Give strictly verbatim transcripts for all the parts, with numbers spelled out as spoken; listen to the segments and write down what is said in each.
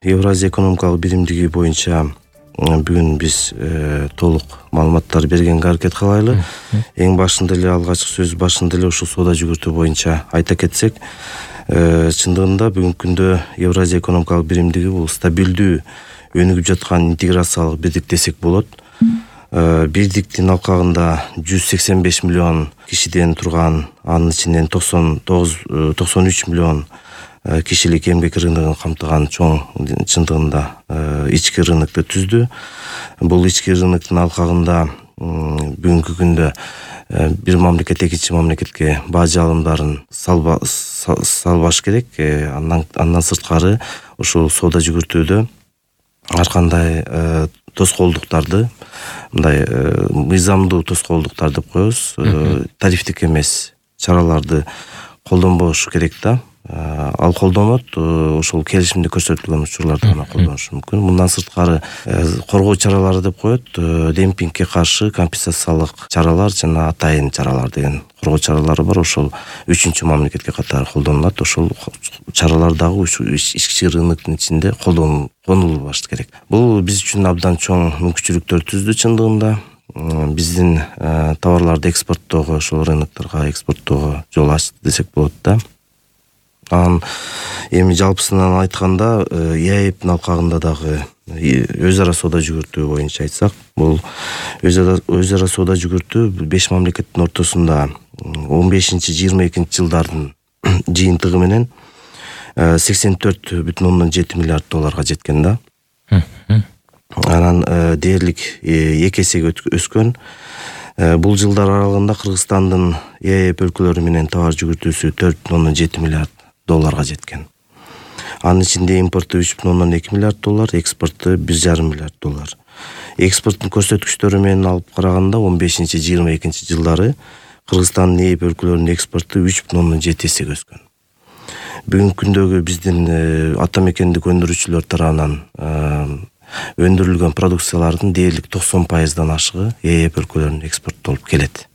Евразия экономикалык биримдиги боюнча бүгүн биз толук маалыматтар бергенге аракет кылайлы. Эң башында эле алгачкы сөз башында эле ушул соода жүгүртүү боюнча айта кетсек, чындыгында бүгүнкү күндө Евразия экономикалык биримдиги бул стабилдүү өнүгүп жаткан интеграциялык бирдик десек болот. Бирдиктин алкагында жүз сексен беш миллион кишиден турган, анын ичинен токсон тогуз токсон үч миллион кишилик эмгек рыногун камтыган чоң чындыгында ички рынокду түздү. Бул ички рыноктун алкагында бүгүнкү күндө бир мамлекет экинчи мамлекетке бажы алымдарын салбаш керек. Андан андан сырткары ушул соода жүгүртүүдө ар кандай тоскоолдуктарды, мындай мыйзамдуу тоскоолдуктар деп коебуз, тарифтик эмес чараларды колдонбошу керек да. Ал колдонот, ошол келишимде көрсөтүлгөн учурларда гана колдонушу мүмкүн. Мындан сырткары коргоо чаралары деп коет, демпингке каршы компенсациялык чаралар жана атайын чаралар деген коргоо чаралары бар. Ошол үчүнчү мамлекетке катары колдонулат. Ошол чаралар дагы ички рыноктун ичинде колдонулбашы керек. Бул биз үчүн абдан чоң мүмкүнчүлүктөр түздү чындыгында. Биздин товарларды экспорттоого, ошол рынокторго экспорттоого жол ачты десек болот да. Анан эми жалпысынан айтканда, ЕАЭПтин алкагында дагы өз ара соода жүгүртүү боюнча айтсак, бул өз ара соода жүгүртүү беш мамлекеттин ортосунда он бешинчи жыйырма экинчи жылдардын жыйынтыгы менен сексен төрт бүтүн ондон жети миллиард долларга жеткен да. Анан дээрлик эки эсеге өскөн. Бул жылдар аралыгында Кыргызстандын ЕАЭП өлкөлөрү менен товар жүгүртүүсү төрт бүтүн ондон жети миллиард долларга жеткен. Анын ичинде импорту үч бүтүн ондон эки миллиард доллар, экспорту бир жарым миллиард доллар. Экспорттун көрсөткүчтөрү менен алып караганда он бешинчи жыйырма экинчи жылдары Кыргызстандын ЕАЭП өлкөлөрүнүн экспорту үч бүтүн ондон жети эсеге өскөн. Бүгүнкү күндөгү биздин ата мекендик өндүрүүчүлөр тарабынан өндүрүлгөн продукциялардын дээрлик токсон пайыздан ашыгы ЕАЭП өлкөлөрүнө экспорттолуп келет.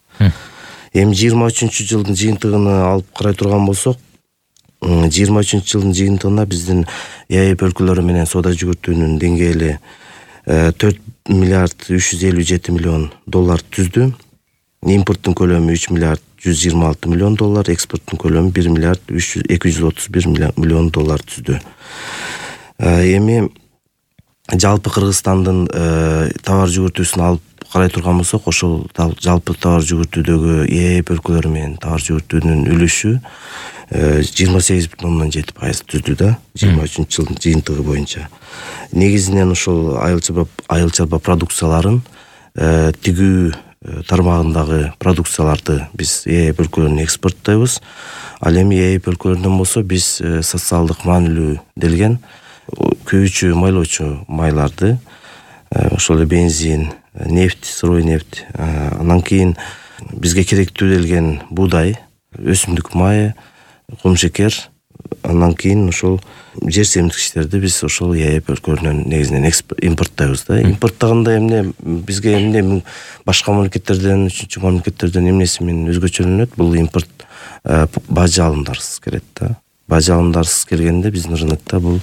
Эми жыйырма үчүнчү жылдын жыйынтыгына алып карай турган болсок, жыйырма үчүнчү жылдын жыйынтыгында биздин ЕАЭП өлкөлөрү менен соода жүгүртүүнүн деңгээли төрт миллиард үч жүз элүү жети миллион доллар түздү. Импорттун көлөмү үч миллиард жүз жыйырма алты миллион доллар, экспорттун көлөмү бир миллиард эки жүз отуз бир миллион доллар түздү. Эми жалпы Кыргызстандын товар жүгүртүүсүн алып карай турган болсок, ошол жалпы товар жүгүртүүдөгү ЕАЭП өлкөлөрү менен товар жүгүртүүнүн үлүшү жыйырма сегиз бүтүн ондон жети пайыз түздү да, жыйырма үчүнчү жылдын жыйынтыгы боюнча. Негизинен ошол айыл чарба продукцияларын, тигүү тармагындагы продукцияларды биз ЕАЭП өлкөлөрүнө экспорттойбуз. Ал эми ЕАЭП өлкөлөрүнөн болсо биз социалдык маанилүү делген күйүүчү, майлоочу майларды, ошол эле бензин, нефть, сырой нефть, анан кийин бизге керектүү делген буудай, өсүмдүк майы, кумшекер, андан кийин ошол жер семирткичтерди биз ошол ЕАЭП өлкөлөрүнөн негизинен импорттойбуз да. Импорттогондо эмне бизге эмне башка мамлекеттерден, үчүнчү мамлекеттерден эмнеси менен өзгөчөлөнөт? Бул импорт бажы алымдарсыз келет да. Бажы алымдарсыз келгенде биздин рынокто бул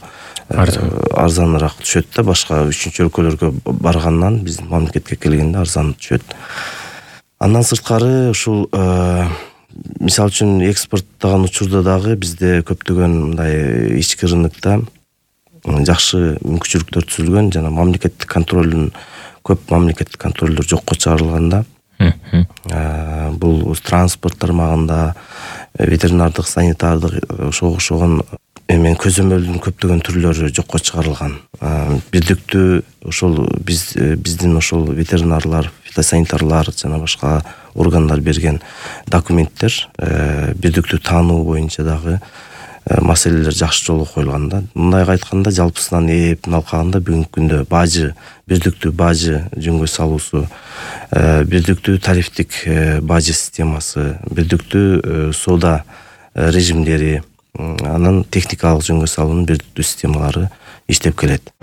арзаныраак түшөт да, башка үчүнчү өлкөлөргө баргандан биздин мамлекетке келгенде арзан түшөт. Андан сырткары ушул мисалы үчүн экспорттогон учурда дагы бизде көптөгөн мындай ички рынокто жакшы мүмкүнчүлүктөр түзүлгөн, жана мамлекеттик контролдун көп мамлекеттик контролдор жокко чыгарылганда, бул транспорт тармагында, ветеринардык, санитардык ошого окшогон эми көзөмөлдүн көптөгөн түрлөрү жокко чыгарылган. Бирдиктүү ошол биз биздин ошол ветеринарлар, фитосанитарлар жана башка органдар берген документтер бирдиктүү таануу боюнча дагы маселелер жакшы жолго коюлган да. Мындайга айтканда, жалпысынан ЕАЭПтин алкагында бүгүнкү күндө бажы, бирдиктүү бажы жөнгө салуусу, бирдиктүү тарифтик бажы системасы, бирдиктүү соода режимдери, анан техникалык жөнгө салуунун бирдиктүү системалары иштеп келет.